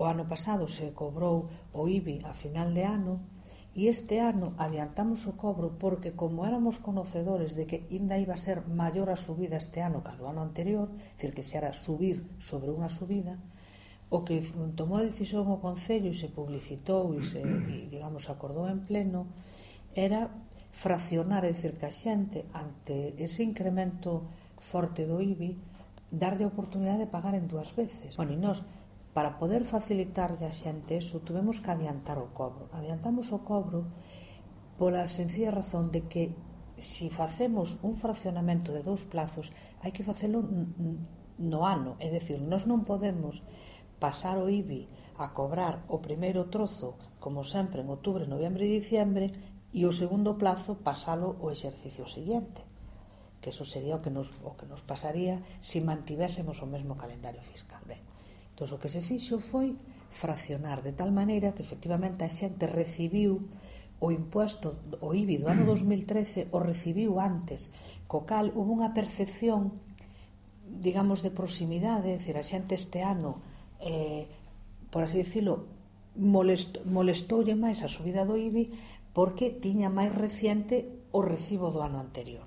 O ano pasado se cobrou o IBI a final de ano e este ano adiantamos o cobro porque como éramos conocedores de que ainda iba a ser maior a subida este ano que a do ano anterior, dicir que se era subir sobre unha subida, o que tomou a decisión o Concello e se publicitou e digamos, acordou en pleno era fraccionar, é dicir, que a xente ante ese incremento forte do IBI darlle a oportunidade de pagar en 2 veces. Bueno, e nós, para poder facilitarlle a xente eso, tuvemos que adiantar o cobro. Adiantamos o cobro pola sencilla razón de que se facemos un fraccionamento de 2 plazos hai que facelo no ano, é dicir, nós non podemos pasar o IBI a cobrar o primeiro trozo como sempre en outubro, noviembre e diciembre e o segundo plazo pasalo o exercicio seguinte, que eso sería o que nos pasaría se mantivésemos o mesmo calendario fiscal. Ben, entón, o que se fixo foi fraccionar de tal maneira que efectivamente a xente recibiu o impuesto, o IBI do ano 2013 o recibiu antes, co cal hubo unha percepción, digamos, de proximidade, é dicir, a xente este ano, por así dicilo, molestoulle máis a subida do IBI porque tiña máis reciente o recibo do ano anterior.